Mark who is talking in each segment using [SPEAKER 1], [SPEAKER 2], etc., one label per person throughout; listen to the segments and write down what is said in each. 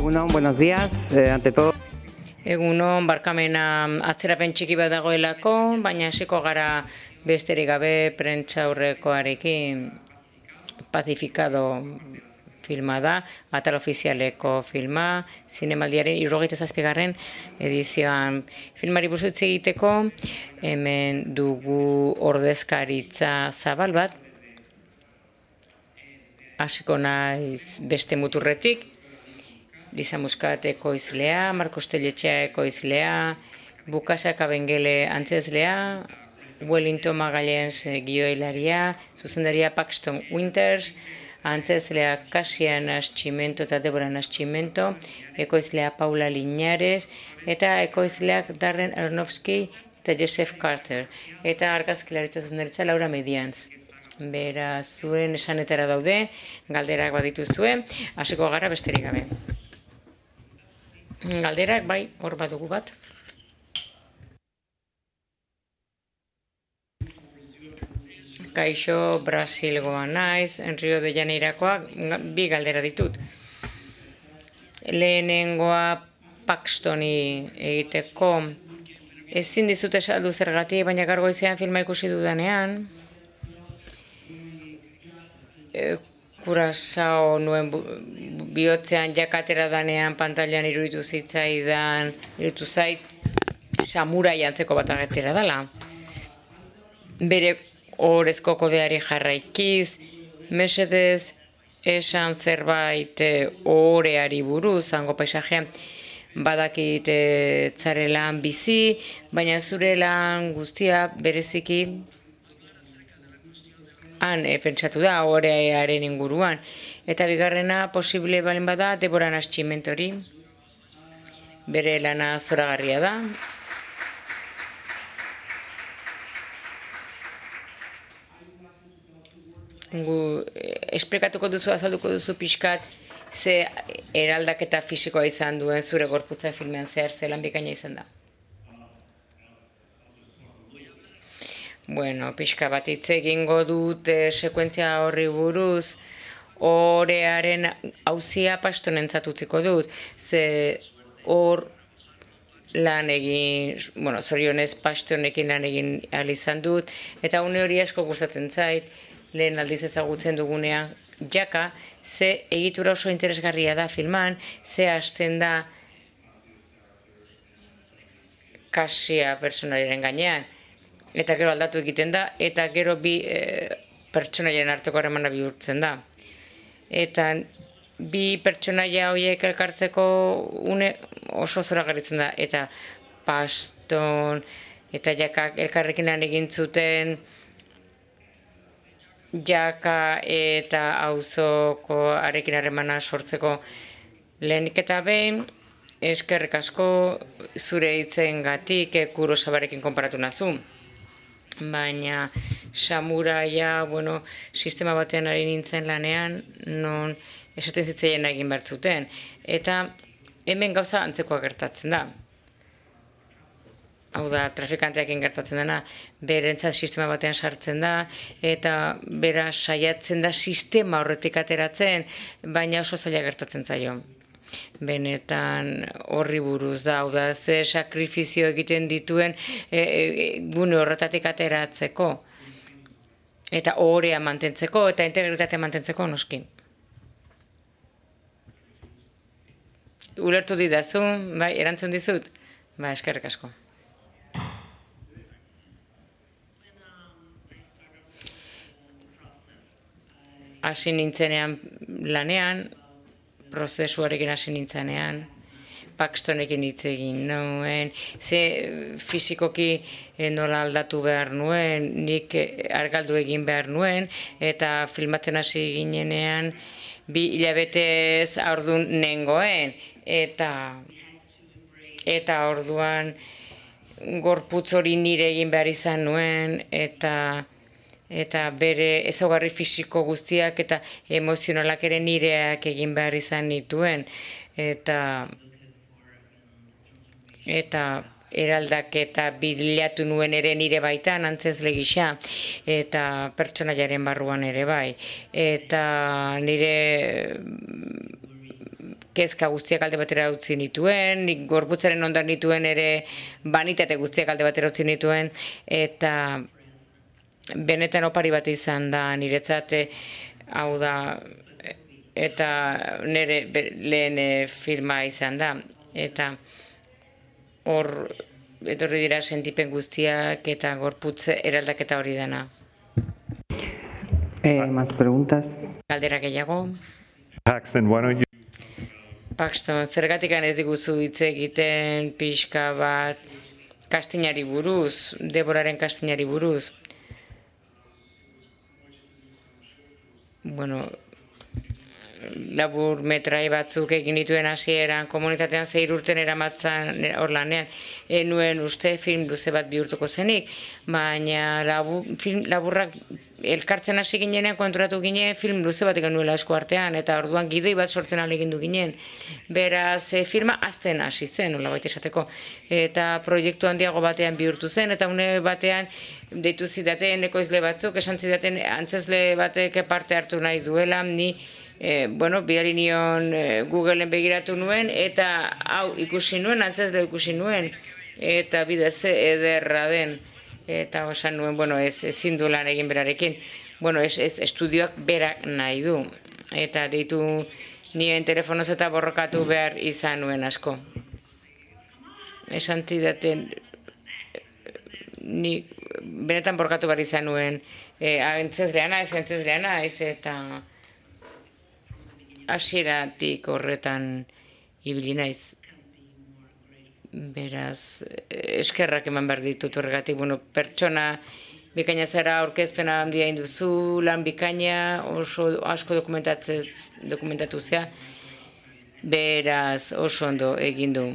[SPEAKER 1] Egunon, buenos días, ante todo.
[SPEAKER 2] Egunon, barkamena atzerapen txiki bat dagoelako, baina hasiko gara besterik gabe prentsa aurrekoarekin. Pacificado filma da, atal ofizialeko filma, zinemaldiaren 77. edizioan filmari buruz hitz egiteko, hemen dugu ordezkaritza zabal bat, hasiko naiz beste muturretik, Liza Muscat ekoizlea, Marcos Telletxea ekoizlea, Bukasak Abengele antzezlea, Wellington Magallens gioilaria, zuzendaria Paxton Winters, antzezlea Kasian Nascimento eta Debora Nascimento, ekoizlea Paula Liñares, eta ekoizleak Darren Aronofsky eta Joseph Carter, eta argazkilaritza zuzendaritza Laura Medianz. Bera, zuen esanetara daude, galderak badituzue, hasiko gara besterik gabe. Galderak, bai, hor badugu bat. Kaixo, Brasilgoa naiz, Rio de Janeirokoak, bi galdera ditut. Lehenengoa Paxtoni egiteko, ezin dizut esaldu zergatik, baina gaur goizean filma ikusi dudanean, Kurazao nuen bihotzean jakatera danean pantailan iruditu zait samurai antzeko bat agertera dela. Bere orezko kodeari jarraikiz, mesedez esan zerbait oreari buruz, zango paisajean badakit zarelan bizi, baina zure lan guztia bereziki han pentsatu da orearen inguruan. Eta bigarrena posible balen bada Debora Nascimentori. Bere lana zoragarria da. Esplikatuko duzu, azalduko duzu pixkat ze eraldaketa fisikoa izan duen zure gorputza filmean zehar zelan bikaina izan da. Bueno, pixka bat hitz egingo dut sekuentzia horri buruz, orearen auzia Paxtonentzat utziko dut, ze hor lan egin, zorionez Paxtonekin lan egin ahal izan dut, eta une hori asko gustatzen zait, lehen aldiz ezagutzen dugunean jaka, ze egitura oso interesgarria da filman, ze hasten da Kasia personaren gainean, eta gero aldatu egiten da, eta gero bi pertsonaien arteko harremana bihurtzen da. Eta bi pertsonaia horiek elkartzeko une oso zoragarritzen da, eta Paxton eta jakak elkarrekin lan egin zuten, jaka eta auzoko arekin harremana sortzeko lehenik eta behin, eskerrik asko zure hitzengatik Kurosawarekin konparatu nazu. Baina samuraia, sistema batean ari nintzen lanean, non esaten zitzaien egin behar zuten. Eta hemen gauza antzekoa gertatzen da. Hau da, trafikanteakin gertatzen dena, berentzat sistema batean sartzen da, eta bera saiatzen da sistema horretik ateratzen, baina oso zaila gertatzen zaio. Benetan horri buruz da, hau da, ze sakrifizio egiten dituen gune horretatik ateratzeko, eta orea mantentzeko, eta integritatea mantentzeko noski. Ulertu didazu, bai, erantzun dizut? Ba, eskerrik asko. Hasi nintzenean lanean, prozesuarekin hasi nintzenean, Paxtonekin hitz egin nuen, ze fisikoki nola aldatu behar nuen, nik argaldu egin behar nuen, eta filmatzen hasi ginenean 2 hilabetez aurdun nengoen, eta orduan gorputz hori nire egin behar izan nuen, eta bere ezaugarri fisiko guztiak eta emozionalak ere nireak egin behar izan nituen, eta eraldaketa bilatu nuen ere nire baitan antzezle gisa, eta pertsonaiaren barruan ere bai, eta nire kezka guztiak alde batera utzi nituen, nik gorputzaren ondan nituen ere banitate guztiak alde batera utzi nituen, eta benetan opari bat izan da niretzat, hau da, eta nire lehen filma izan da, eta hor etorri dira sentipen guztiak eta gorputz eraldaketa hori dena.
[SPEAKER 1] Más preguntas.
[SPEAKER 2] Galdera gehiago?
[SPEAKER 3] Paxton, why don't you?
[SPEAKER 2] Paxton, zergatik ez diguzu hitz egiten pixka bat kastinari buruz, Deboraren kastinari buruz? Bueno, labur metrai batzuk egin dituen hasieran komunitatean 6 urten eramatzan hor lanean, nuen uste film luze bat bihurtuko zenik, baina film laburrak elkartzen hasi ginenean konturatu ginen film luze bat egan nuela esku artean, eta orduan gidoi bat sortzen ahalegindu ginen. Beraz, filma azten hasi zen, nola baita esateko, eta proiektu handiago batean bihurtu zen, eta une batean deitu zidaten ekoizle batzuk, esan zidaten antzezle batek parte hartu nahi duela, ni bihari nion Googleen begiratu nuen, eta hau ikusi nuen, antzezle ikusi nuen, eta bidez ederra den. Eta osan nuen, ezin du lan egin berarekin. Estudioak berak nahi du. Eta deitu nien telefonoz eta borrokatu behar izan nuen asko. Esan zidaten, ni benetan borrokatu behar izan nuen. Antzezleana, eta hasieratik horretan ibili naiz. Beraz, eskerrak eman behar ditut horregatik, pertsona bikaina zara aurkezpena handia induzu, lan bikaina oso asko dokumentatu zea, beraz oso ondo egin du.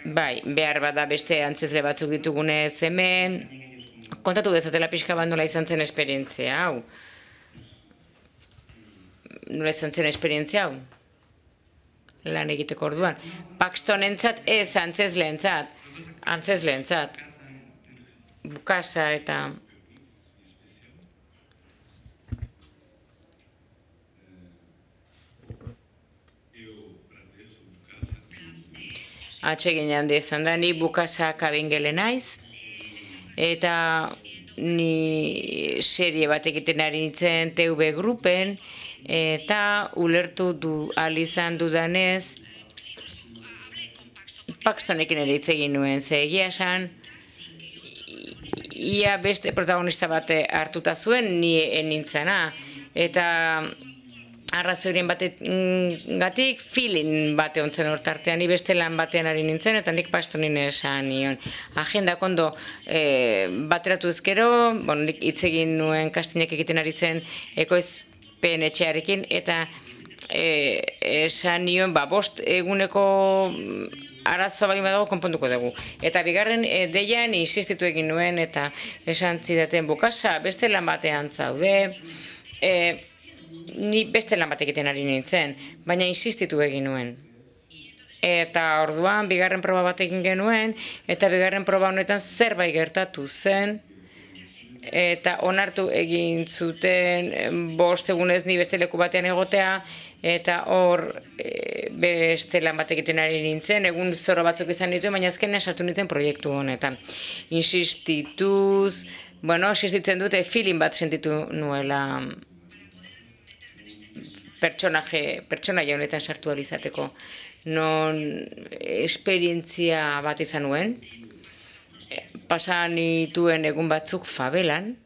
[SPEAKER 2] Bai, behar bada beste antzezle batzuk ditugunez hemen, kontatu dezatela pixka bat nola izan zen esperientzia hau. Nola izan zen esperientzia hau? Lan egiteko orduan. Paxtonentzat ez antzezleentzat. Antzezleentzat. Bukasa eta... Atsegin handi izan da, ni Bukasa kabingele naiz. Eta ni serie bat egiten ari nintzen TV Grupen, eta ulertu ahal izan dudanez Paxtonekin ere hitz egin nuen, ze egia esan ia beste protagonista bat hartuta zuen ni nintzena, eta arrazoirien bategatik feeling bate ontzen hortartean, ni beste lan batean ari nintzen, eta nik Paxtonin esan nion. Agenda kondo bateratu ezkero, nik hitz egin nuen kastinak egiten ari zen ekoizpen etxearekin, eta esan nion, 5 eguneko arazoa bali badago konponduko dugu. Eta bigarren deian insistitu egin nuen, eta esan zidaten Bukasa, beste lan batean zaude, ni beste lan bat egiten ari nintzen, baina insistitu egin nuen. Eta orduan, bigarren proba bat egin genuen, eta bigarren proba honetan zerbait gertatu zen, eta onartu egin zuten 5 egunez ni beste leku batean egotea, eta hor beste lan bat egiten ari nintzen, egun zoro batzuk izan dituen, baina azkenean sartu nintzen proiektu honetan. Insistituz, insistitzen dute feeling bat sentitu nuela pertsonaia honetan sartu alizateko. Non esperientzia bat izan nuen, pasan nituen egun batzuk favelan,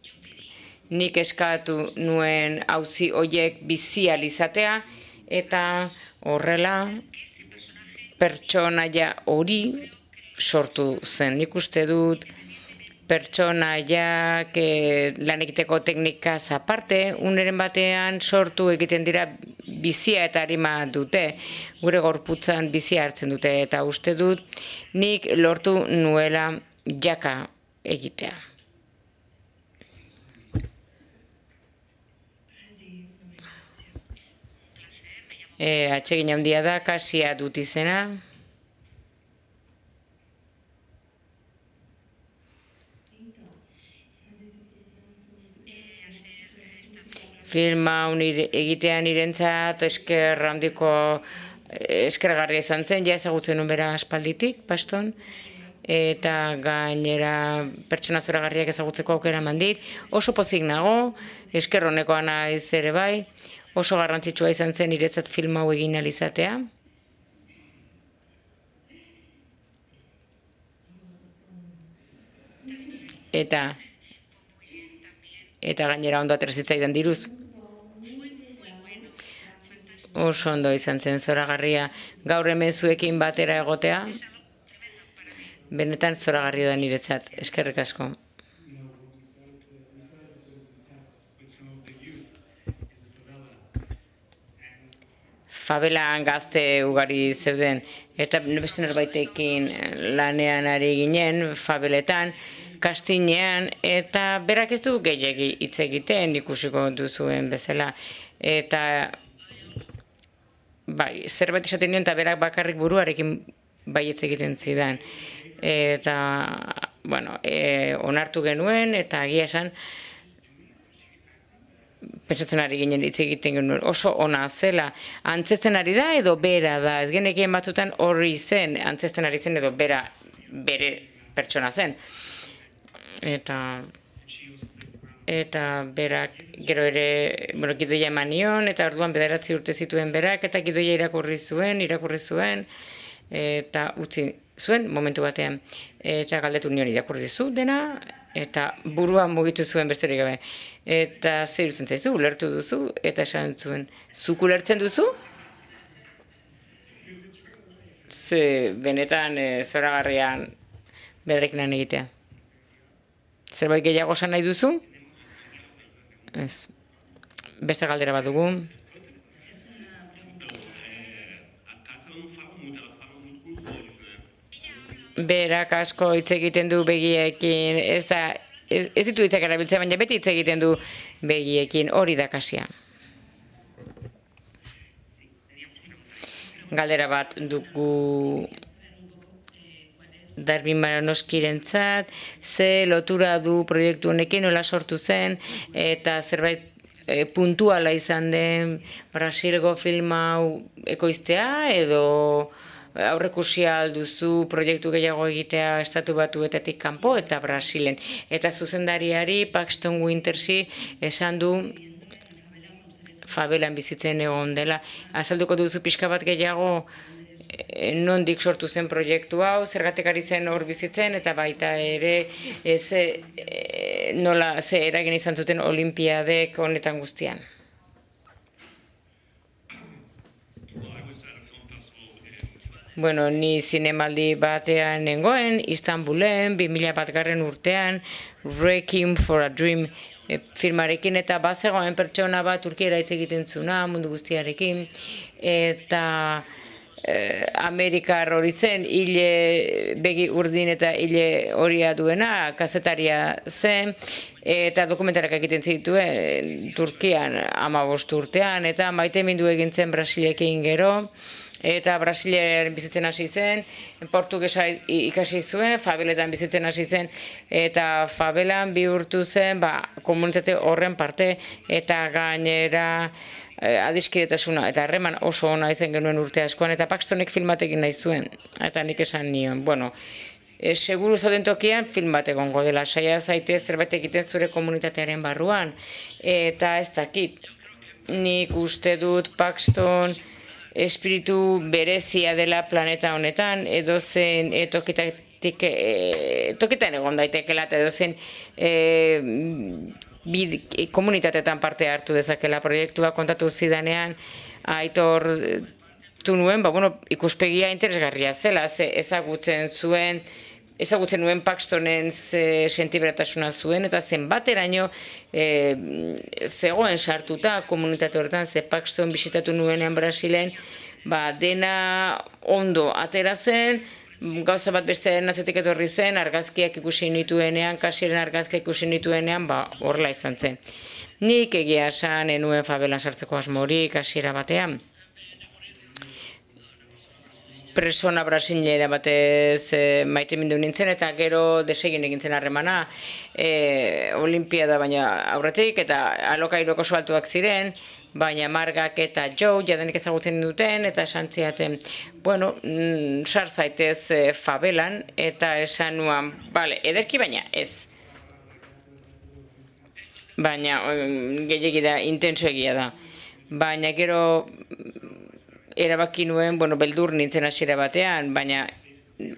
[SPEAKER 2] nik eskatu nuen auzi horiek bizi alizatea, eta horrela pertsonaia hori sortu zen. Nik uste dut pertsonaiak lan egiteko teknikaz aparte, uneren batean sortu egiten dira bizia eta arima dute, gure gorputzan bizia hartzen dute, eta uste dut nik lortu nuela jaka egitea. Atsegin handia da, Kasia dut izena. Filma egitean irentzat eskergarria izan zen, ja ezagutzen nuen bera aspalditik, Paston, eta gainera pertsona zoragarriak ezagutzeko aukera eman dit. Oso pozik nago, esker honekoa naiz ere bai, oso garrantzitsua izan zen niretzat film hau egin ahal izatea. Eta gainera ondo atera zitzaidan diruz. Oso ondo izan zen zoragarria gaur hemen zuekin batera egotea. Benetan zoragarria da niretzat. Eskerrik asko. Favelan gazte ugari zeuden, eta beste norbaitekin lanean ari ginen, faveletan, kastinean, eta berak ez du gehiegi hitz egiten ikusiko duzuen bezala. Eta bai, zerbait esaten nion, eta berak bakarrik buruarekin bai hitz egiten zidan. Eta, bueno, onartu genuen, eta egia esan, pentsatzen ari ginen hitz egiten genuen, oso ona zela. Antzesten ari da edo bera da, ez genekien batzutan horri zen, antzesten ari zen edo bere pertsona zen. Eta berak gero ere, bueno, gidoia eman nion, eta orduan 9 urte zituen berak, eta gidoia irakurri zuen, eta utzi zuen momentu batean. Eta galdetu nion irakurri zu dena, eta burua mugitu zuen besterik gabe. Eta zer irutzen zaizu, ulertu duzu, eta esan zuen, zuk ulertzen duzu? Ze benetan zoragarrian berarekin lan egitea. Zerbait gehiago esan nahi duzu? Ez. Beste galdera bat dugu. Berak asko hitz egiten du begiekin, ez ditu hitzak erabiltzen, baina beti hitz egiten du begiekin, hori da kasia. Galdera bat dugu Darwin Maronoskirentzat, ze lotura du proiektu honekin, nola sortu zen, eta zerbait puntuala izan den Brasilgo filma ekoiztea, edo aurrekusia alduzu proiektu gehiago egitea Estatu Batuetatik kanpo eta Brasilen. Eta zuzendariari Paxton Wintersi esan du favelan bizitzen egon dela. Azalduko duzu pixka bat gehiago nondik sortu zen proiektu hau, zergatik ari zen hor bizitzen, eta baita ere ze eragin izan zuten olimpiadek honetan guztian. Bueno, ni zinemaldi batean nengoen, Istanbulen, 2001 urtean, Requiem for a Dream filmarekin, eta bazegoen pertsona bat Turkiera hitz egiten zuna, mundu guztiarekin, eta Amerikar hori zen, hile begi urdin eta hile horia duena, kazetaria zen, eta dokumentarak egiten zituen Turkian 15 urtean, eta maite mindu egin zen Brasilekin gero, eta Brasilean bizitzen hasi zen, portugesa ikasi zuen, faveletan bizitzen hasi zen, eta favelan bihurtu zen komunitate horren parte, eta gainera adiskidetasuna, eta harreman oso ona izan genuen urte askoan, eta Paxtonek filmatekin nahi zuen, eta nik esan nion, bueno, seguru zauden tokian film bat egongo dela, saia zaite zerbait egiten zure komunitatearen barruan, eta ez dakit, nik uste dut Paxton espiritu berezia dela planeta honetan, edozen tokitan egon daitekela, eta edozen komunitateetan parte hartu dezakela proiektua kontatu zidanean, aitortu nuen, ikuspegia interesgarria zela, ezagutzen nuen Paxtonen sentiberatasuna zuen, eta zenbateraino zegoen sartuta komunitate horretan, ze Paxton bisitatu nuenean Brasilen, dena ondo atera zen, gauza bat bestearen atzetik etorri zen, argazkiak ikusi nituenean, kasiren argazkiak ikusi nituenean, horrela izan zen. Nik egia esan enuen favelan sartzeko asmorik hasiera batean. persona brasilera batez maite mindu nintzen, eta gero desegin egin zen harremana, olimpiada baina aurretik, eta alokairuk oso altuak ziren, baina Margak eta Joe jadenik ezagutzen duten, eta esan ziaten, bueno, sar zaitez favelan, eta esan nuan, bale, ederki baina ez. Baina, gehiagi da, intenso egia da. Baina gero erabaki nuen, bueno, beldur nintzen hasiera batean, baina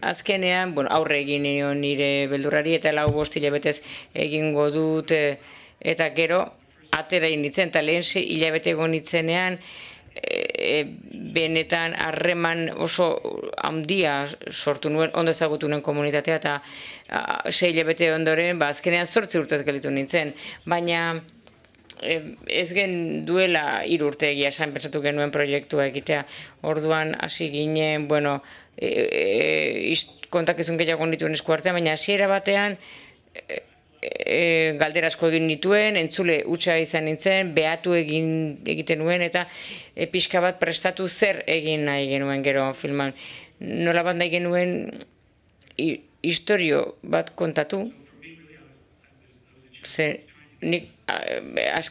[SPEAKER 2] azkenean, bueno, aurre egin nion nire beldurrari, eta 4-5 hilabetez egingo dut, eta gero atera nintzen, eta lehen 6 hilabete egon nintzenean, benetan harreman oso handia sortu nuen, ondo ezagutu nuen komunitatea, eta 6 hilabete ondoren, azkenean 8 urtez gelditu nintzen, baina ez gen duela 3 urte egia esan pentsatu genuen proiektua egitea. Orduan hasi ginen, bueno, kontakizun gehiago nituen esku artean, baina hasiera batean galdera asko egin nituen, entzule hutsa izan nintzen, behatu egiten nuen, eta pixka bat prestatu zer egin nahi genuen gero filman. Nola bat nahi genuen istorio bat kontatu, nik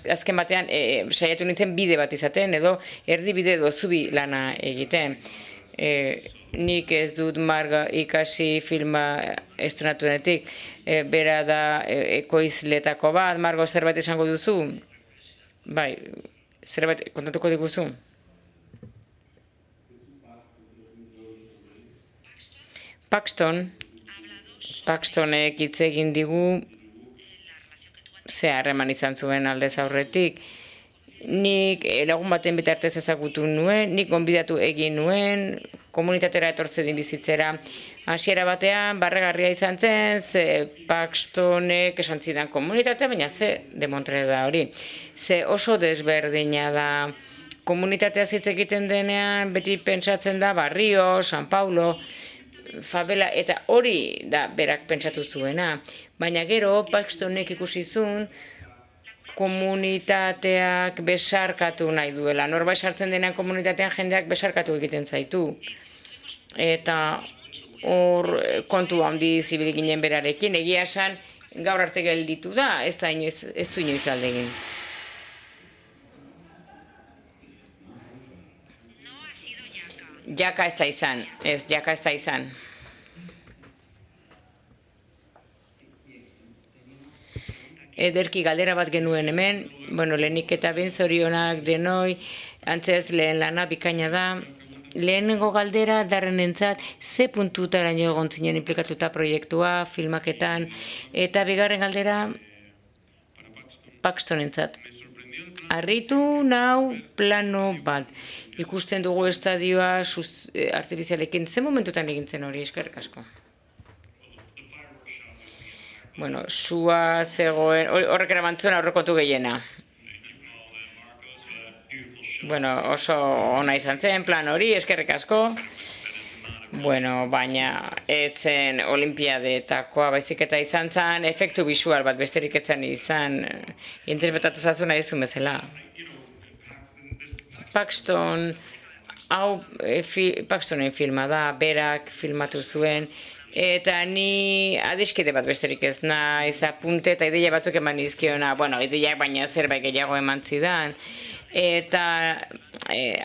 [SPEAKER 2] azken batean saiatu nintzen bide bat izaten, edo erdibide edo zubi lana egiten. Nik ez dut Marga ikasi filma estrenatuenetik, bera da ekoizletako bat. Margo, zerbait esango duzu? Bai, zerbait kontatuko diguzu? Paxtonek hitz egin digu, ze harreman izan zuen aldez aurretik. Nik lagun baten bitartez ezagutu nuen, nik gonbidatu egin nuen, komunitatera etortzen bizitzera. Hasiera batean, barregarria izan zen, ze Paxtonek esan zidan komunitatea, baina ze demontre da hori. Ze oso desberdina da, komunitatea hitz egiten denean, beti pentsatzen da Barrio, San Paulo, favela, eta hori da berak pentsatu zuena. Baina gero, Paxtonek ikusi zuen, komunitateak besarkatu nahi duela. Norbait sartzen denean komunitatean jendeak besarkatu egiten zaitu. Eta hor kontu handi zibil ginen berarekin, egia esan gaur arte gelditu da, ez du inoiz alde egin. Jaka ez da izan, jaka ez da izan. Ederki galdera bat genuen hemen, bueno, lehenik eta behin zorionak denoi, antzez lehen lana bikaina da. Lehenengo galdera darrenentzat ze puntutaraino egon zinen inplikatuta proiektua, filmaketan, eta bigarren galdera Paxtonentzat. Harritu nau plano bat. Ikusten dugu estadioa artifizialekin, ze momentutan egintzen hori, eskerrik asko? Bueno, sua zegoen, horrek eramantzuen aurrekotu gehiena. Bueno, oso ona izan zen, plan hori, eskerrik asko. Bueno, baina etzen olimpiadetakoa baizik eta izan zen, efektu bisual bat besterik etzen izan, interpretatu zazu nahi zuen bezala. Paxton, hau Paxtonen filma da, berak filmatu zuen, eta ni adiskide bat besterik ez naiz, apunte eta ideia batzuk eman dizkiona, bueno, ideiak baina zerbait gehiago eman zidan, eta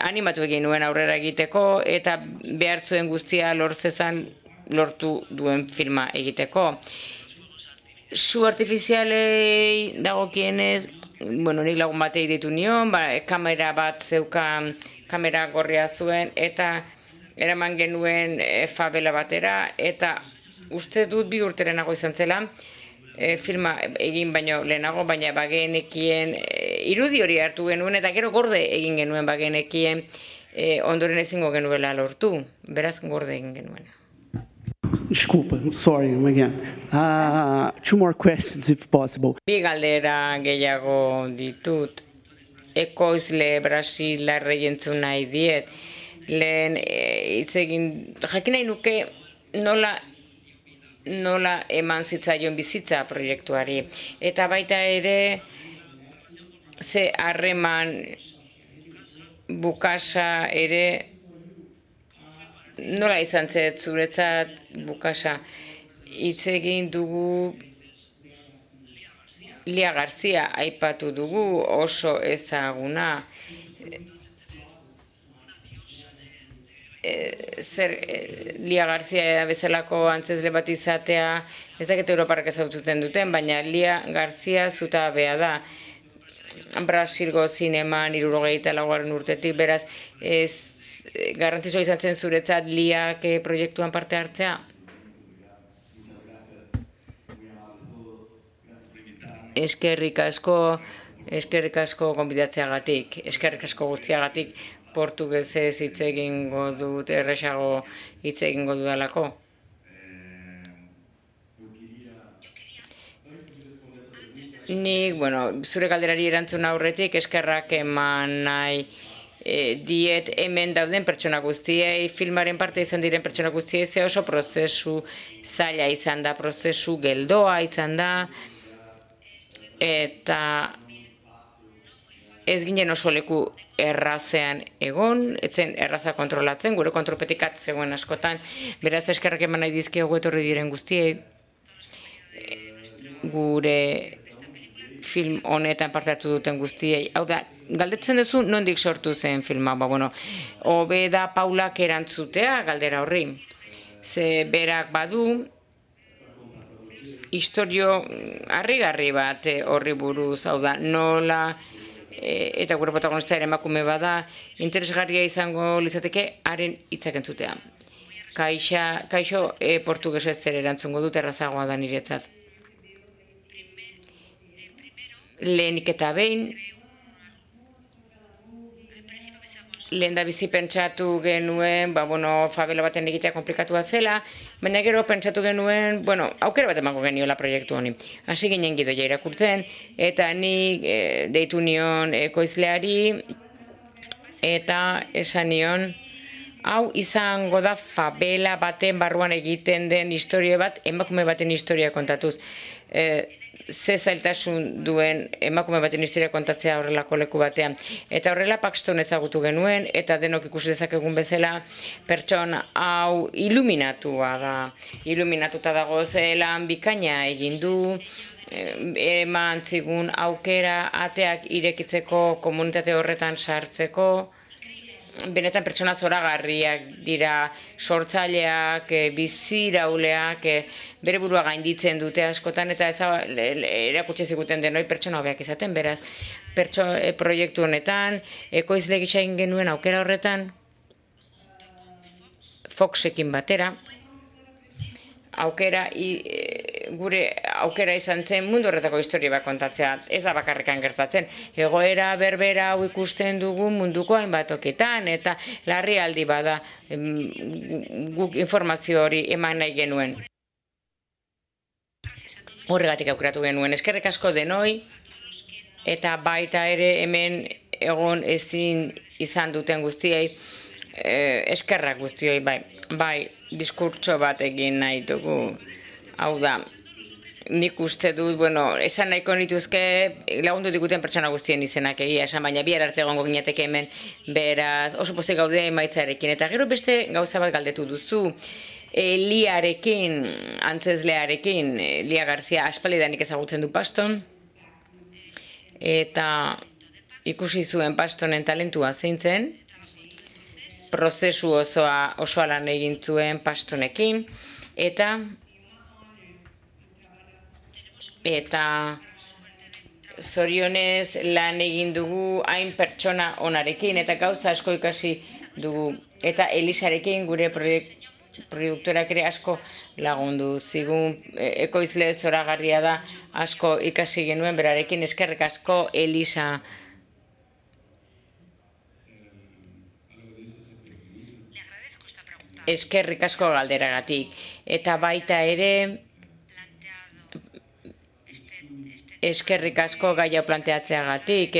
[SPEAKER 2] animatu egin nuen aurrera egiteko, eta behartzuen guztia lortu duen filma egiteko. Su artifizialei dagokienez, bueno, nik lagun batei ditu nion, kamera bat zeukan, kamera gorria zuen, eta eraman genuen favela batera, eta uste dut 2 urterenago izan zela, filma egin baino lehenago, baina bagenekien irudi hori hartu genuen, eta gero gorde egin genuen bagenekien ondoren ezingo genuela lortu, beraz gorde egin genuen.
[SPEAKER 4] Desculpa, sorry again. 2 more questions if possible.
[SPEAKER 2] Bi galdera gehiago ditut. Ekoizle Brasilarrei entzun nahi diet. Lehen hitz egin, jakin nahi nuke nola eman zitzaion bizitza proiektuari. Eta baita ere, ze harreman bukasa ere nola izan zet zuretzat Bukasa? Hitz egin dugu Lia Garzia aipatu dugu, oso ezaguna. Lia Garzia bezalako antzezle bat izatea, ez dakit Europarrak ezagutzen duten, baina Lia Garzia zutabea da. Brasilgo zineman 74. urtetik, beraz, garrantzitsua izan zen zuretzat Liak proiektuan parte hartzea? Eskerrik asko gonbidatzeagatik, eskerrik asko guztiagatik, portugesez hitz egingo dut, erresago hitz egingo dudalako. Nik, zure galderari erantzun aurretik, eskerrak eman nahi diet hemen dauden pertsona guztiei, filmaren parte izan diren pertsona guztiei, ze oso prozesu zaila izan da, prozesu geldoa izan da, eta ez ginen oso leku errazean egon, etzen erraza kontrolatzen, gure kontrolpetik zegoen askotan, beraz eskerrak eman nahi dizkiegu etorri diren guztiei, gure film honetan parte hartu duten guztiei. Hau da, galdetzen duzu nondik sortu zen filma, hobe da Paulak erantzutea galdera horri. Ze berak badu, istorio harrigarri bat horri buruz, hau da, nola, eta gure protagonista ere emakume bada, interesgarria izango litzateke haren hitzak entzutea. Kaixo portugesez zer erantzungo dut, errazagoa da niretzat. Lehenik eta behin, lehen da bizi pentsatu genuen, fabela baten egitea komplikatua zela, baina gero pentsatu genuen, aukera bat emango geniola proiektu honi. Hasi ginen gidoia irakurtzen, eta nik deitu nion ekoizleari, eta esan nion, hau izango da fabela baten barruan egiten den historia bat, emakume baten historia kontatuz. Ze zailtasun duen emakume baten historia kontatzea horrelako leku batean. Eta horrela Paxton ezagutu genuen, eta denok ikusi dezakegun bezala, pertsona hau iluminatua da. Iluminatuta dago zelan bikaina egin du, eman zigun aukera ateak irekitzeko, komunitate horretan sartzeko, benetan pertsona zoragarriak dira, sortzaileak, bizirauleak, bere burua gainditzen dute askotan, eta erakutsi ziguten denoi pertsona hobeak izaten, beraz. Proiektu honetan, ekoizle gisa egin genuen aukera horretan, Foxekin batera, gure aukera izan zen mundu horretako historia bat kontatzea, ez da bakarrikan gertatzen. Egoera berbera hau ikusten dugu munduko hainbat tokitan, eta larrialdi bada guk informazio hori eman nahi genuen. Horregatik aukeratu genuen. Eskerrik asko denoi, eta baita ere hemen egon ezin izan duten guztiei, eskerrak guztioi, bai, diskurtso bat egin nahi dugu. Hau da, nik uste dut, esan nahiko nituzke lagundu diguten pertsona guztien izenak egia esan, baina bihar arte egongo ginateke hemen, beraz, oso pozik gaude emaitzarekin. Eta gero beste gauza bat galdetu duzu, Liarekin, antzezlearekin, Lia Garzia aspaldidanik ezagutzen du Paxton, eta ikusi zuen Paxtonen talentua zein zen, prozesu osoa lan egin zuen Paxtonekin, eta zorionez lan egin dugu hain pertsona onarekin, eta gauza asko ikasi dugu, eta Elisarekin gure produktorak ere asko lagundu zigun, ekoizle zoragarria da, asko ikasi genuen berarekin, eskerrik asko Elisa. Eskerrik asko galderagatik, eta baita ere eskerrik asko gai hau planteatzeagatik,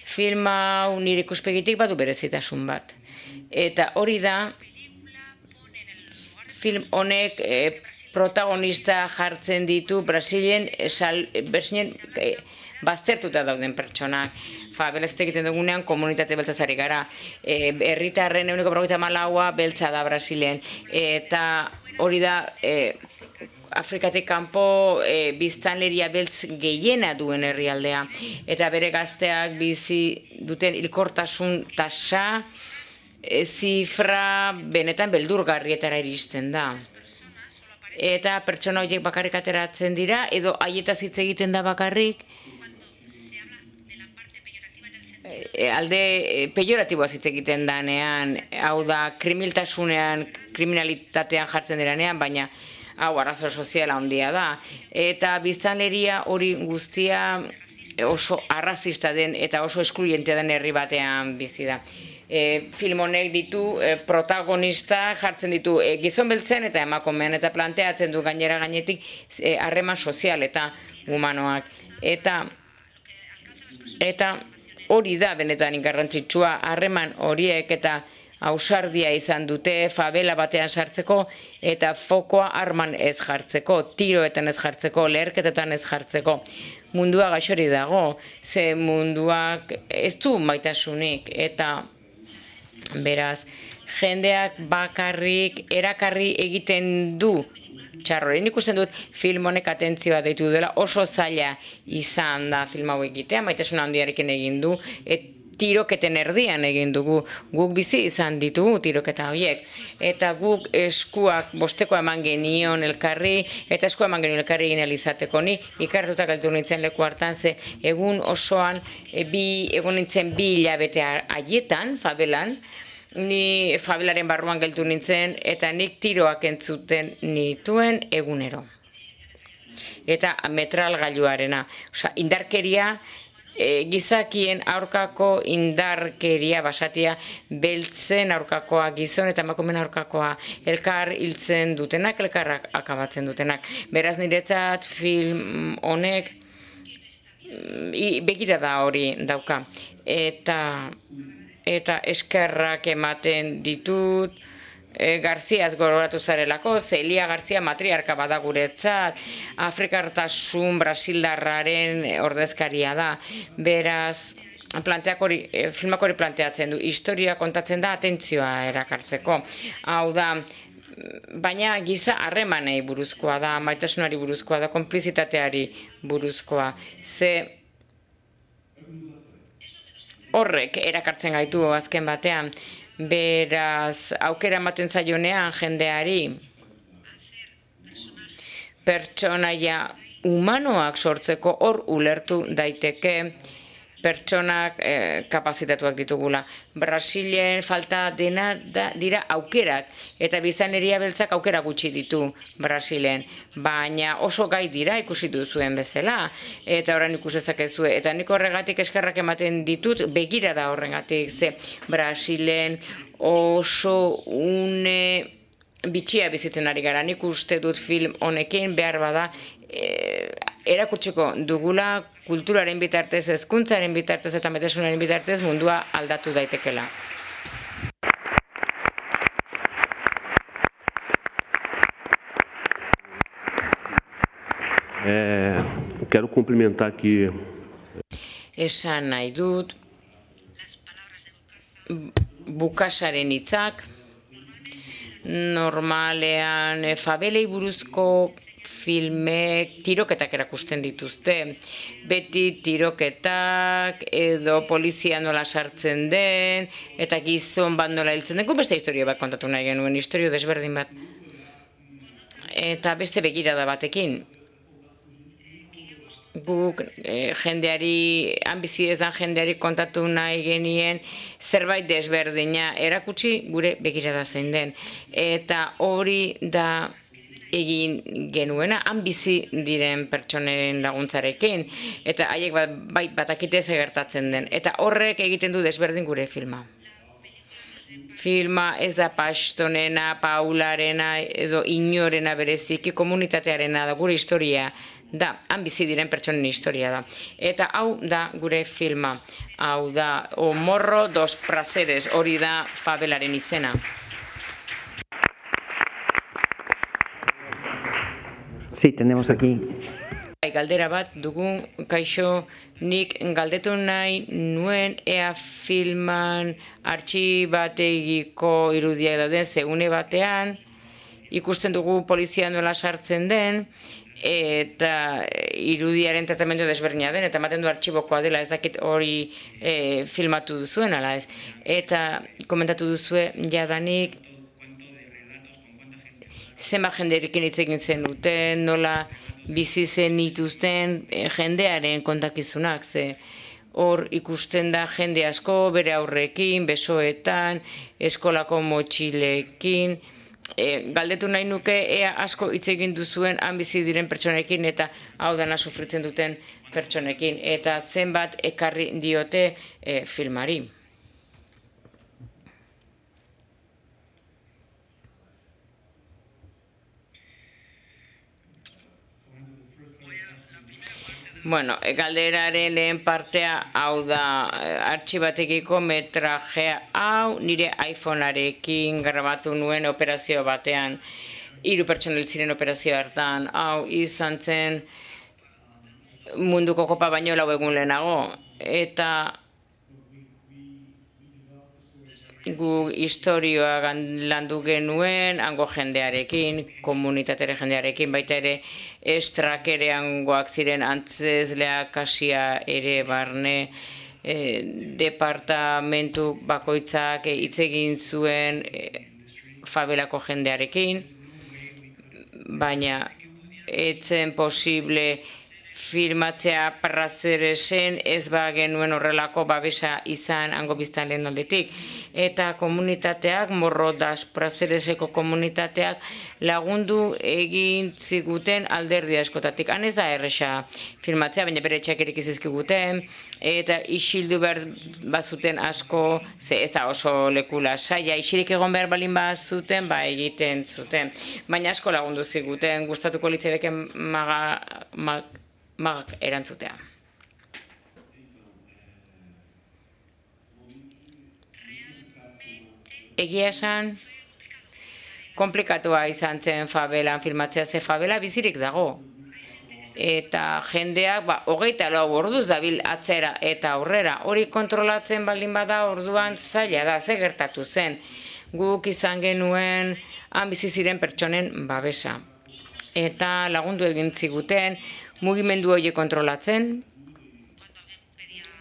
[SPEAKER 2] filma hau nire ikuspegitik badu berezitasun bat. Eta hori da, film honek protagonista jartzen ditu Brasilen baztertuta dauden pertsonak. Fabelaz egiten dugunean komunitate beltzaz ari gara. Herritarren 94%a beltza da Brasilen. Eta hori da Afrikatik kanpo biztanleria beltz gehiena duen herrialdea. Eta bere gazteak bizi duten hilkortasun tasa zifra benetan beldurgarrietara iristen da. Eta pertsona horiek bakarrik ateratzen dira, edo haietaz hitz egiten da bakarrik, alde pejoratiboaz hitz egiten danean, hau da, kriminalitatean jartzen diranean, baina hau arazo soziala handia da. Eta biztanleria hori guztia oso arrazista den eta oso eskluyentea den herri batean bizi da. Film honek ditu protagonista jartzen ditu gizon beltzen eta emakumean eta planteatzen du gainera gainetik harreman sozial eta humanoak. Eta hori da benetan garrantzitsua, harreman horiek eta ausardia izan dute favela batean sartzeko eta fokoa arman ez jartzeko, tiroetan ez jartzeko, leherketetan ez jartzeko. Mundua gaixori dago, ze munduak ez du maitasunik eta beraz, jendeak bakarrik erakarri egiten du txarroren. Ikusten dut film honek atentzioa deitu dela, oso zaila izan da film hau egitea, maitasun handiarekin egin du, tiroketen erdian egin dugu, guk bizi izan ditugu tiroketa horiek. Eta guk eskuak bosteko eman genion elkarri, eta eskua eman genion elkarri egin izateko ni, ikartutak galtu nintzen leku hartan, ze egun osoan, egun nintzen 2 hilabete haietan, favelan, ni favelaren barruan geltu nintzen, eta nik tiroak entzuten nituen egunero. Eta metralgailuarena, osea, indarkeria, gizakien aurkako indarkeria basatia, beltzen aurkakoa, gizon eta emakumeen aurkakoa, elkar hiltzen dutenak, elkar akabatzen dutenak. Beraz niretzat film honek begirada hori dauka. Eta eskerrak ematen ditut, Garziaz gogoratu zarelako, Celia Garzia matriarka bada guretzat, afrikartasun brasildarraren ordezkaria da. Beraz, filmak hori planteatzen du, historia kontatzen da atentzioa erakartzeko. Hau da, baina giza harremanei buruzkoa da, maitasunari buruzkoa da, konplizitateari buruzkoa. Ze horrek erakartzen gaitu azken batean, beraz, aukera ematen zaionean jendeari pertsonaia humanoak sortzeko hor ulertu daiteke pertsonak kapazitatuak ditugula. Brasilen falta dena dira aukerak, eta biztanleria beltzak aukera gutxi ditu Brasilen, baina oso gai dira ikusi duzuen bezala, eta orain ikus dezakezue, eta nik horregatik eskerrak ematen ditut, begira da horregatik, ze Brasilen oso une bitxia bizitzen ari gara. Nik uste dut film honekin behar bada erakutsiko dugula kulturaren bitartez, hezkuntzaren bitartez eta maitasunaren bitartez mundua aldatu daitekela.
[SPEAKER 5] Quero cumprimentar aqui.
[SPEAKER 2] Esan nahi dut Bukasaren hitzak, normalean fabelei buruzko filmek tiroketak erakusten dituzte. Beti tiroketak edo polizia nola sartzen den, eta gizon bat nola hiltzen den. Guk beste historio bat kontatu nahi genuen, historio desberdin bat. Eta beste begirada batekin. Guk jendeari, bizi ezan jendeari kontatu nahi genien zerbait desberdina erakutsi gure begirada zein den. Eta hori da egin genuena, bizi diren pertsonen laguntzarekin, eta haiek batakite ze gertatzen den. Eta horrek egiten du desberdin gure filma. Filma ez da Pastonena, Paularena, edo inorena bereziki, komunitatearena da, gure historia da, bizi diren pertsonen historia da. Eta hau da gure filma, hau da O Morro dos Prazeres, hori da favelaren izena.
[SPEAKER 1] Sí, tenemos aquí.
[SPEAKER 2] galdera bat dugu, kaixo, nik galdetu nahi nuen ea filman artxibategiko irudiak dauden, zegune batean, ikusten dugu polizia nola sartzen den, eta irudiaren tratamendu desberdina den, eta ematen du artxibokoa dela, ez dakit hori filmatu duzuen, ala ez. Eta komentatu duzue, jadanik, zenba jenderekin hitz egin zenuten, nola bizi zen dituzten jendearen kontakizunak, ze hor ikusten da jende asko bere aurrekin, besoetan, eskolako motxilekin. Galdetu nahi nuke ea asko hitz egin duzuen han bizi diren pertsonekin eta hau dana sufritzen duten pertsonekin, eta zenbat ekarri diote filmari. Bueno, galderaren lehen partea hau da artxibategiko metrajea hau nire iPhonearekin grabatu nuen operazio batean, 3 pertsona hil ziren operazio hartan, hau izan zen munduko kopa baino 4 egun lehenago, eta gu historioa landu genuen hango jendearekin, komunitatera jendearekin, baita ere estrakereangoak ziren antzezleak, kasia ere barne, departamentu bakoitzak hitz egin zuen fabelako jendearekin, baina etzen posible filmatzea Prazerezen ez ba genuen horrelako babesa izan hango biztanleen aldetik. Eta komunitateak, Morrodas Prazerezeko komunitateak lagundu egin ziguten alderdi askotatik. Han ez da erresa filmatzea, baina bere txakerik izizkiguten, eta isildu behar bazuten asko, ze ez da oso lekula saia, isilik egon behar balin bazuten, ba egiten zuten. Baina asko lagundu ziguten, gustatuko litzaideken magak erantzutea. Egia esan, komplikatua izan zen favelan filmatzea, ze favela bizirik dago. Eta jendeak, 24 orduz dabil atzera eta aurrera. Hori kontrolatzen baldin bada orduan zaila da, ze gertatu zen. Guk izan genuen han bizi ziren pertsonen babesa. Eta lagundu egin ziguten, mugimendu horiek kontrolatzen,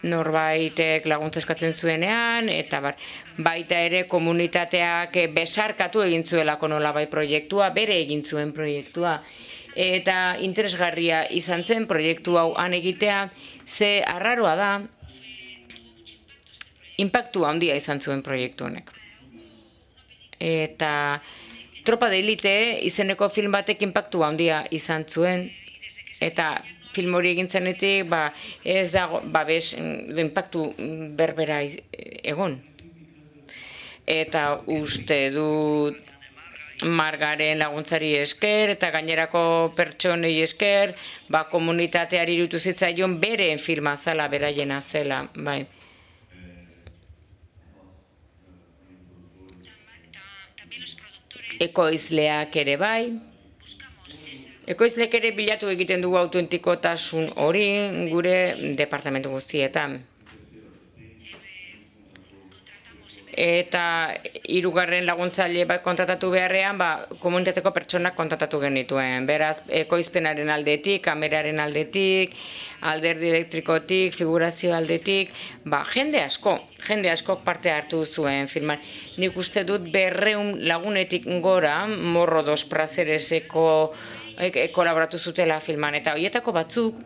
[SPEAKER 2] norbaitek laguntza eskatzen zuenean, eta baita ere komunitateak besarkatu egin zuelako nolabai proiektua, bere egin zuen proiektua, eta interesgarria izan zen proiektu hau han egitea, ze arraroa da, inpaktu handia izan zuen proiektu honek. Eta Tropa de Elite izeneko film batek inpaktu handia izan zuen, eta film hori egin zenetik ez dago inpaktu berbera egon. Eta uste dut Margaren laguntzari esker eta gainerako pertsonei esker, komunitateari iruditu zitzaion beren filma zela, beraiena zela, bai. Ekoizleak ere bai. Ekoizleak ere bilatu egiten dugu autentikotasun hori gure departamentu guztietan. Eta 3. laguntzaile bat kontratatu beharrean, komunitateko pertsonak kontratatu genituen. Beraz, ekoizpenaren aldetik, kameraren aldetik, alderdi elektrikotik, figurazio aldetik, jende askok parte hartu zuen filman. Nik uste dut 200 lagunetik gora, Morrodas Prazerezeko kolaboratu zutela filman, eta horietako batzuk,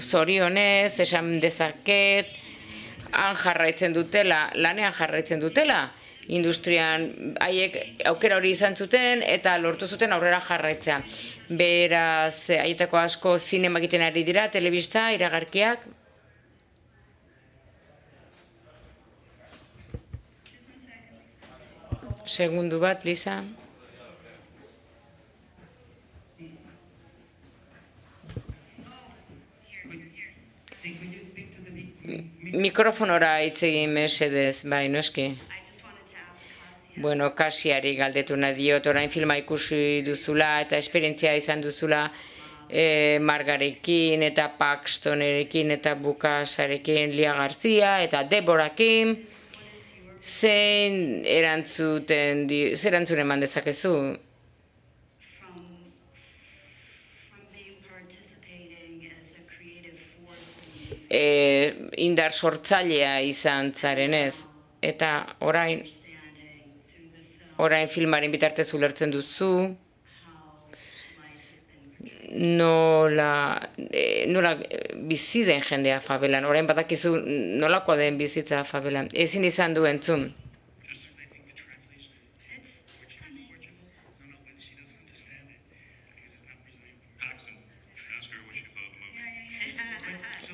[SPEAKER 2] zorionez, esan dezaket, lanean jarraitzen dutela, industrian haiek aukera hori izan zuten eta lortu zuten aurrera jarraitzea. Beraz, haietako asko zinema egiten ari dira, telebista, iragarkiak. Segundu bat, Lisa. Mikrofonora hitz egin mesedez, bai, noski. Bueno, Kasiari galdetu nahi diot, orain filma ikusi duzula eta esperientzia izan duzula Margarekin eta Paxtonerekin eta Bukasarekin, Lia Garzia eta Deborakin, zein erantzun eman dezakezu? Indar sortzailea izan zarenez, eta orain filmaren bitartez ulertzen duzu, nola bizi den jendea favelan, orain badakizu nolakoa den bizitza favelan, ezin izan du entzun.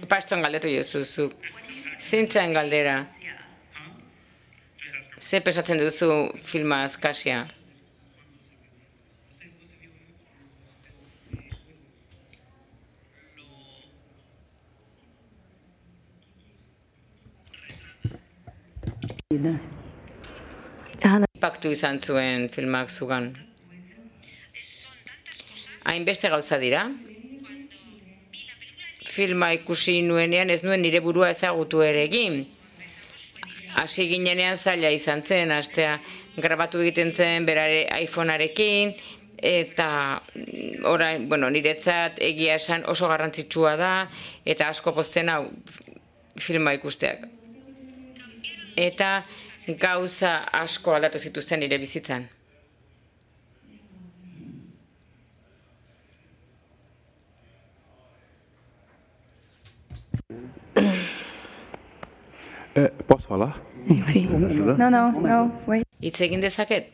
[SPEAKER 2] Paxton galdetu jozu, zintzen galdera. Ze pensatzen duzu filmaz, Kasia? Impaktu izan zuen filmak zugan. Hainbeste gauza dira. Filma ikusi nuenean ez nuen nire burua ezagutu ere egin. Hasi ginenean zaila izan zen, hastea grabatu egiten zen berare iPhonearekin, eta orain, niretzat egia esan oso garrantzitsua da, eta asko pozten hau filma ikusteak. Eta gauza asko aldatu zituzten nire bizitzan.
[SPEAKER 5] Posso falar?
[SPEAKER 6] Enfim. Não, foi.
[SPEAKER 2] Hitz egin dezaket?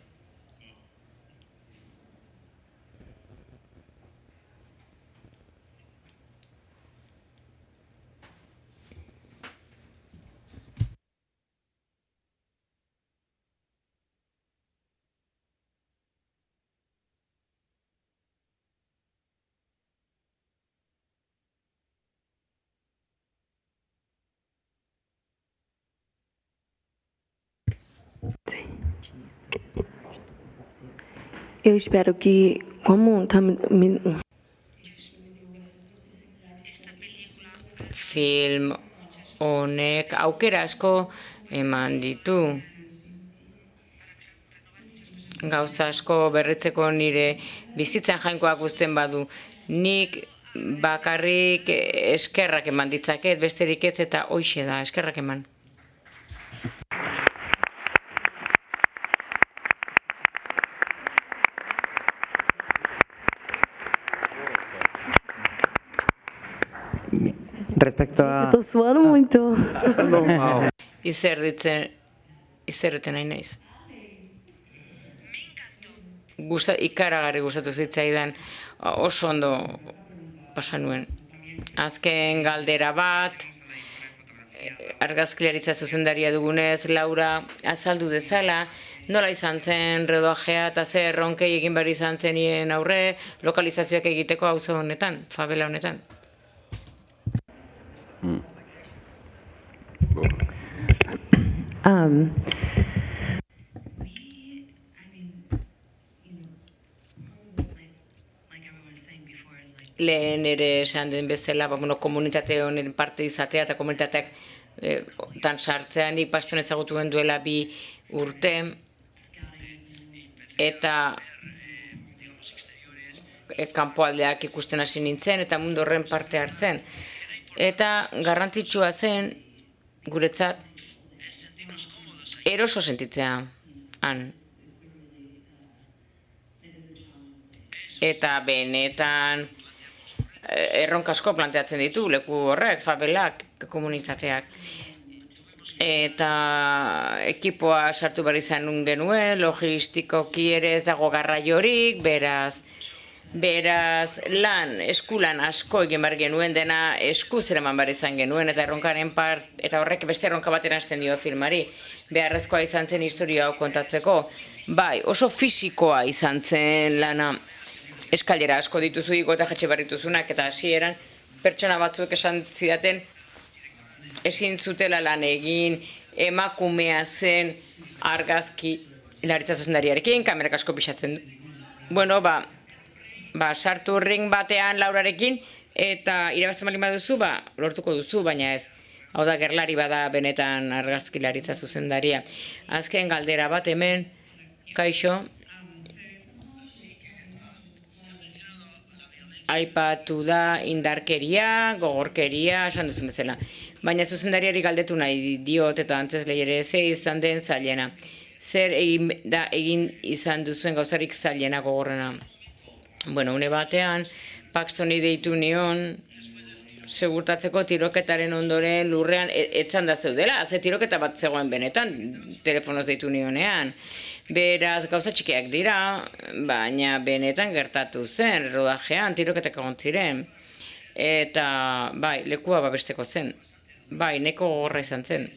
[SPEAKER 6] Eu espero que, como
[SPEAKER 2] Film honek aukera asko eman ditu. Gauza asko berritzeko nire bizitzan jainkoak uzten badu. Nik bakarrik eskerrak eman ditzaket, besterik ez eta hoixe da, eskerrak eman.
[SPEAKER 1] Respecto a...
[SPEAKER 6] Estou suando muito.
[SPEAKER 5] Normal.
[SPEAKER 2] Izerreten nahi naiz. Ikaragarri gustatu zitzaidan, oso ondo pasa nuen. Azken galdera bat, argazkilaritza zuzendaria dugunez, Laura azaldu dezala, nola izan zen redojea eta ze erronkei egin behar izan zenien aurre, lokalizazioak egiteko auzo honetan, favela honetan. Lehen ere esan den bezala, komunitate honen parte izatea eta komunitateak tan sartzea, nik Paxton ezagutuen duela 2 urte, eta kanpoaldeak ikusten hasi nintzen, eta mundu horren parte hartzen. Eta garrantzitsua zen, guretzat, eroso sentitzea han. Eta benetan, erronka asko planteatzen ditu, leku horrek, fabelak, komunitateak. Eta ekipoa sartu behar izan genuen, logistikoki ere ez dago garraiorik, beraz eskulan asko egin behar genuen, dena eskuz eraman behar izan genuen, eta erronkaren eta horrek beste erronka bat eranzten dio filmari. Beharrezkoa izan zen historia hau kontatzeko. Bai, oso fisikoa izan zen lana. Eskailera asko dituzu igo eta jatxe barrituzunak, eta hasieran pertsona batzuk esan zidaten ezin zutela lan egin, emakumea zen argazki laritza zuzendariarekin, kamerak asko pixatzen du. Bueno, sartu ring batean Laurarekin, eta irabazten baldin baduzu, lortuko duzu, baina ez. Hau da, gerlari bada benetan argazkilaritza zuzendaria. Azken galdera bat hemen, kaixo, aipatu da indarkeria, gogorkeria, esan duzun bezala. Baina zuzendariari galdetu nahi diot eta antzesle ere ze izan den zailena. Zer egin izan duzuen gauzarik zailena gogorrena. Bueno, une batean, Paxtoni deitu nion, segurtatzeko tiroketaren ondoren lurrean etzan da zeudela, ze tiroketa bat zegoen benetan, telefonoz deitu nionean. Beraz, gauza txikiak dira, baina benetan gertatu zen, rodajean, tiroketak egon ziren. Eta, bai, lekua babesteko zen. Bai, neko gogorra izan zen.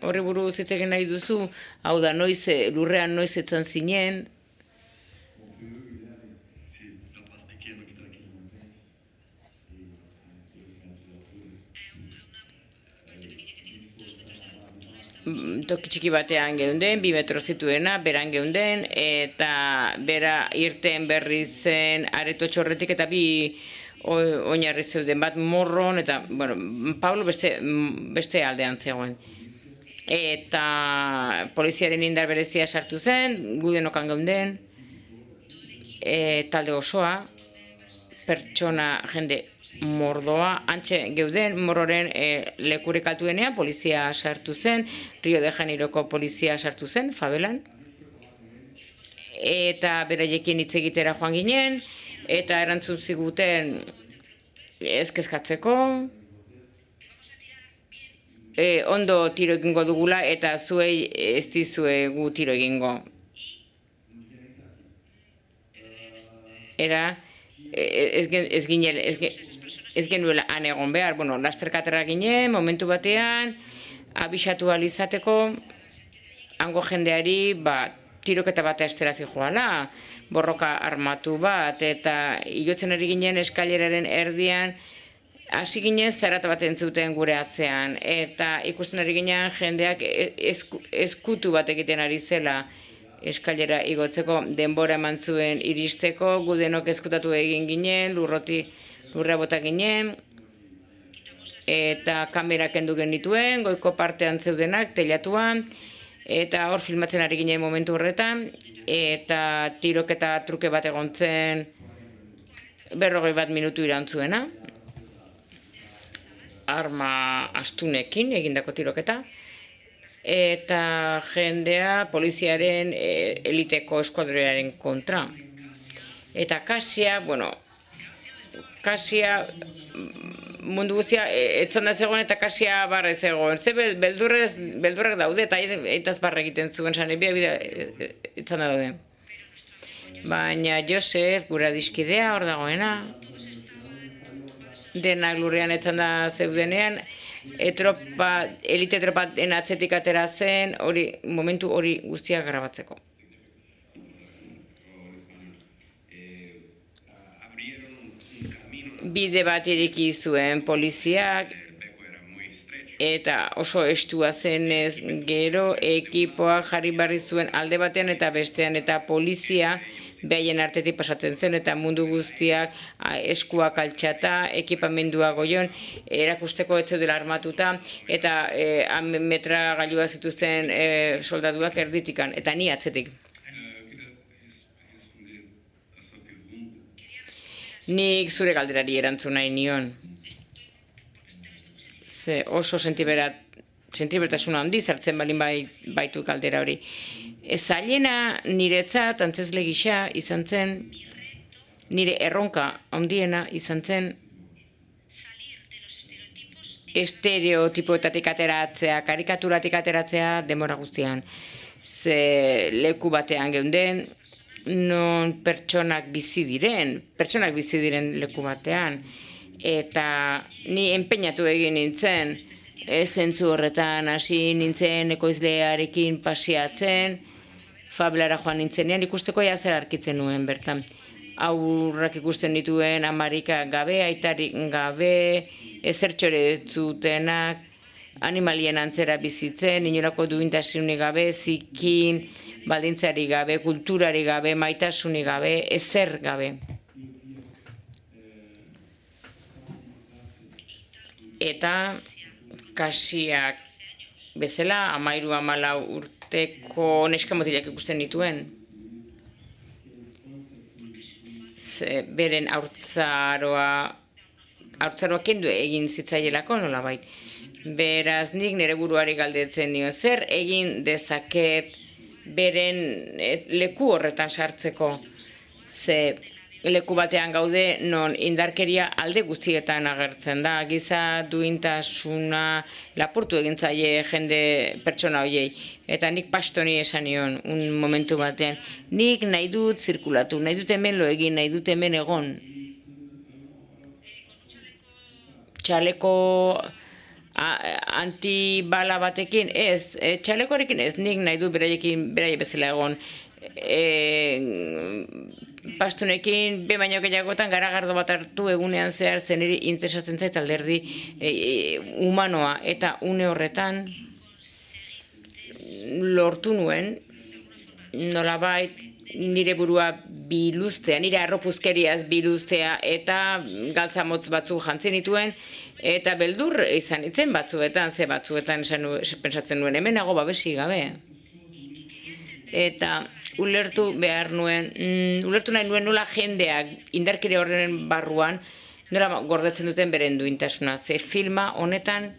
[SPEAKER 2] Horri buruz hitz egin nahi duzu, hau da, lurrean noiz etzan zinen. Toki txiki batean geunden, 2 metro zituena, beran geunden, eta bera irten berri zen areto txorretik eta 2 oinarri zeuden, bat morron, eta, bueno, Pablo beste aldean zegoen. Eta poliziaren indar berezia sartu zen, gu denokan geunden, talde osoa, pertsona, jende mordoa, antxe geuden, morroren lekurik altuenean, polizia sartu zen, Rio de Janeiroko polizia sartu zen, favelan, eta beraiekin hitz egitera joan ginen, eta erantzun ziguten ezkezkatzeko, ondo tiro egingo dugula, eta zuei ez dizue gu tiro egingo. Era, ez genuela han egon behar, bueno, lasterkatera ginen, momentu batean, abisatu alizateko, hango jendeari, tiroketa bat esterazi joala, borroka armatu bat, eta igotzen ari ginen eskaileraren erdian, hasi ginen zarata bat entzuten gure atzean, eta ikusten ari ginen jendeak eskutu bat egiten ari zela, eskailera igotzeko denbora eman zuen iristeko, gu denok eskutatu egin ginen, lurra bota ginen, eta kamerak kendu genituen, goiko partean zeudenak, telatuan, eta hor filmatzen ari ginen momentu horretan, eta tiroketa truke bat egon zen 41 minutu iraun arma astunekin egindako tiroketa, eta jendea poliziaren eliteko eskuadroiaren kontra. Eta Kasia, mundu guztia etzan da zegoen eta Kasia barre zegoen. Ze beldurrek daude eta eitaz barre egiten zuen, sanebia bidea etzan da daude. Baina Josef, gura diskidea hor dagoena, denak lurrean etzan da zeudenean, elite tropaten atzetik atera zen, momentu hori guztiak grabatzeko. Bide bat ireki zuen poliziak, eta oso estua zenez gero ekipoak jarri barri zuen alde batean eta bestean, eta polizia behaien artetik pasatzen zen, eta mundu guztiak eskuak altxata, ekipamendua goion, erakusteko ez zeudela armatuta, eta metragailua zituzten soldaduak erditikan, eta ni atzetik. Nik zure galderari erantzun nahi nion. Ze oso sentibertasuna handi sartzen balin baitu galdera hori. Zailena niretzat, antzezle gisa izan zen, nire erronka handiena izan zen, estereotipoetatik ateratzea, karikaturatik ateratzea denbora guztian. Ze leku batean geunden, non pertsonak bizi diren leku batean, eta ni enpeinatu egin nintzen, zentzu horretan hasi nintzen ekoizlearekin pasiatzen, fabelara joan nintzenean, ikusteko zer arkitzen nuen bertan. Aurrak ikusten dituen amarika gabe, aitarik gabe, ezertxore zutenak, animalien antzera bizitzen, inolako duintasunik gabe, zikin, baldintzari gabe, kulturari gabe, maitasunik gabe, ezer gabe. eta kasiak bezala 13-14 urteko neska mutilak ikusten dituen. Beren haurtzaroa kendu egin zitzaielako nolabait. Beraz, nik nire buruari galdetzen dio, zer egin dezaket beren leku horretan sartzeko, ze leku batean gaude non indarkeria alde guztietan agertzen da, giza duintasuna lapurtu egin zaie jende pertsona horiei. Eta nik pastoni esan nion, un momentu batean, nik nahi dut zirkulatu, nahi dut hemen lo egin, nahi dut hemen egon. Txaleko antibala batekin ez, txalekoarekin ez, nik nahi dut beraie bezala egon. Pastunekin baino gehiagotan garagardo bat hartu egunean zehar zen ere interesatzen zait alderdi humanoa, eta une horretan lortu nuen nolabait nire burua biluztea, nire arropuzkeriaz biluztea eta galtzamotz batzuk jantzen dituen, eta beldur izan itzen batzuetan, ze batzuetan pentsatzen nuen hemen nago babesi gabe. Eta ulertu nahi nuen nola jendeak indarkeria horren barruan nola gordetzen duten beren duintasuna. Ze filma honetan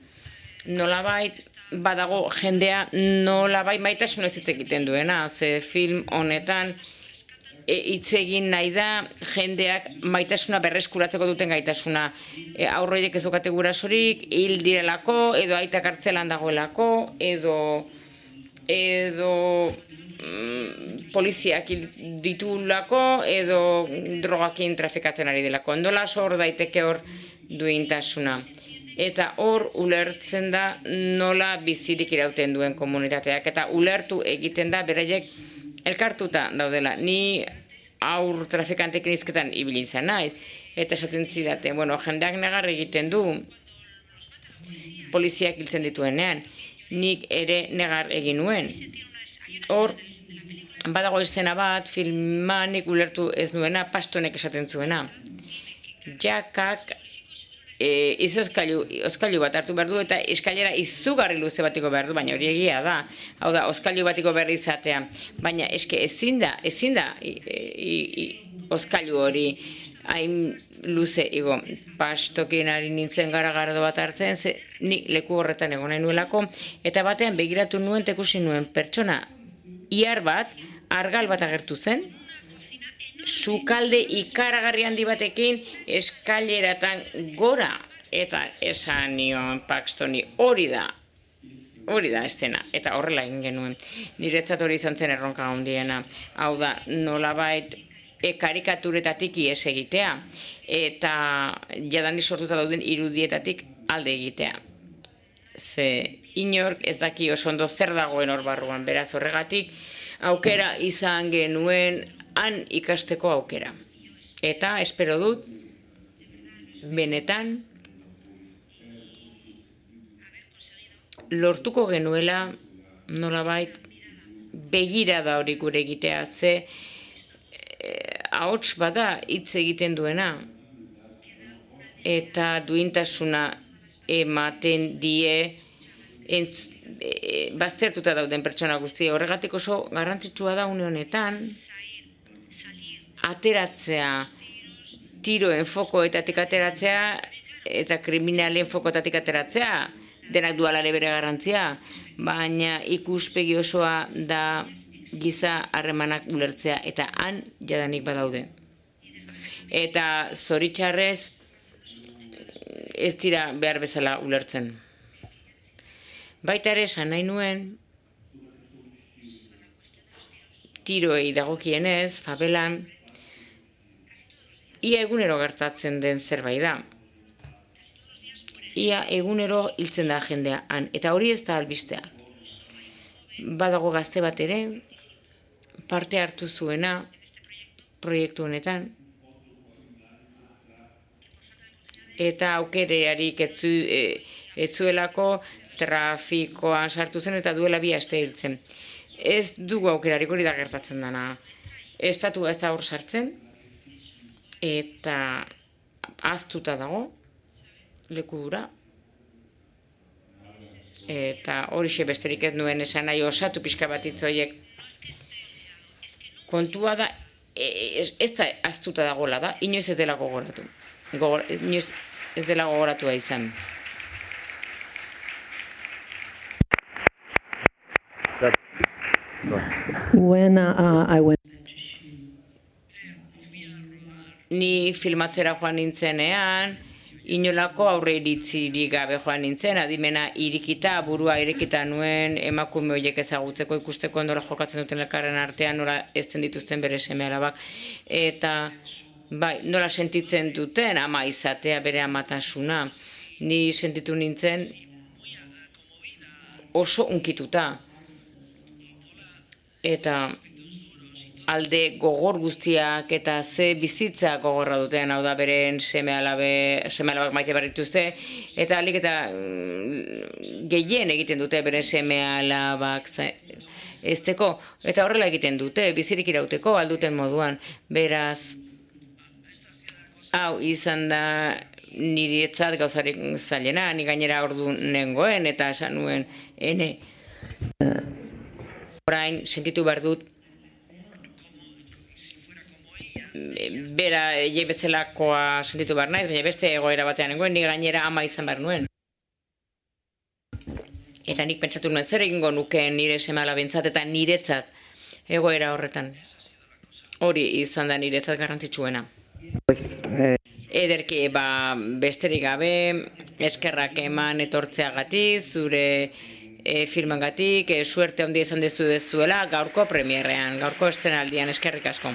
[SPEAKER 2] nolabait badago jendea nolabait maitasunez hitz egiten duena. Ze film honetan hitz egin nahi da jendeak maitasuna berreskuratzeko duten gaitasuna. Aurroiek ez daukate gurasorik, hil direlako, edo aita kartzelan dagoelako, edo poliziak ditulako edo drogakin trafikatzen ari delako. Ondola hor daiteke hor duintasuna. Eta hor ulertzen da nola bizirik irauten duen komunitateak. Eta ulertu egiten da beraiek elkartuta daudela. Ni aur trafikantekin izketan ibili izan naiz. Eta esaten zidate, jendeak negar egiten du poliziak hiltzen dituenean. Nik ere negar egin nuen. Hor, badago eszena bat, filmanik ulertu ez nuena, pastonek esaten zuena. Jakak oskailu bat hartu behar du eta eskailera izugarri luze batiko behar du, baina hori egia da. Hau da, oskailu batiko berri izatea. Baina eske ezin da oskailu hori hain luze igo. Pastokin ari nintzen garagardo bat hartzen, ni leku horretan egon nahi nuelako, eta batean begiratu nuen tekusi nuen pertsona iar bat, argal bat agertu zen, sukalde ikaragarri handi batekin eskaileratan gora, eta esan nion Paxtoni hori da eszena, eta horrela egin genuen. Niretzat hori izan zen erronka handiena, hau da, nolabait karikaturetatik ihes egitea, eta jadani sortuta dauden irudietatik alde egitea. Ze inork ez daki oso ondo zer dagoen hor barruan, beraz horregatik aukera izan genuen han ikasteko aukera. Eta espero dut benetan lortuko genuela nolabait begirada hori gure egitea, ze ahots bada hitz egiten duena eta duintasuna ematen die baztertuta dauden pertsona guztia. Horregatik oso garrantzitsua da une honetan ateratzea, tiroen fokoetatik ateratzea eta kriminalen fokoetatik ateratzea, denak dualare bere garrantzia, baina ikuspegi osoa da giza harremanak ulertzea, eta han jadanik badaude. Eta zoritxarrez ez dira behar bezala ulertzen. Baita ere esan nahi nuen, tiroei dagokienez, favelan, ia egunero gertatzen den zerbait da. Ia egunero hiltzen da jendea han, eta hori ez da albistea. Badago gazte bat ere, parte hartu zuena proiektu honetan, eta aukerearik ez zuelako trafikoan sartu zen eta duela 2 aste hiltzen. Ez dugu aukerarik, hori da gertatzen dana. Estatua ez da hor sartzen, eta ahaztuta dago, leku dura, Eta horixe besterik ez nuen esan nahi osatu pixka bat hitzoiek. Kontua da, ez da aztuta dagoela da, inoiz ez dela gogoratu. Inoiz ez dela gogoratua izan.
[SPEAKER 7] When I went.
[SPEAKER 2] Ni filmatzera joan nintzenean, inolako aurre iritzirik gabe joan nintzen, adimena irikita, burua irekita nuen, emakume horiek ezagutzeko, ikusteko nola jokatzen duten elkarren artean, nola ezten dituzten bere seme-alabak, eta bai, nola sentitzen duten ama izatea, bere amatasuna. Ni sentitu nintzen oso unkituta. Eta alde gogor guztiak eta ze bizitza gogorra duten, hau da beren seme-alabak maite barrituzte, eta alik eta gehien egiten dute beren seme-alabak ezteko, eta horrela egiten dute, bizirik irauteko alduten moduan. Beraz, hau izan da niretzat gauzarik zailena, ni gainera ordu nengoen, eta esan nuen, orain sentitu behar dut, bera bezalakoa sentitu behar naiz, baina beste egoera batean nengoen, ni gainera ama izan behar nuen. Eta nik pentsatu nuen zer egingo nukeen nire seme-alabentzat eta niretzat egoera horretan. Hori izan da niretzat garrantzitsuena. Ederki, besterik gabe, eskerrak eman etortzeagatik, zure filmangatik, suerte handia izan dezuela gaurko premierrean, gaurko eszenaldian, eskerrik asko.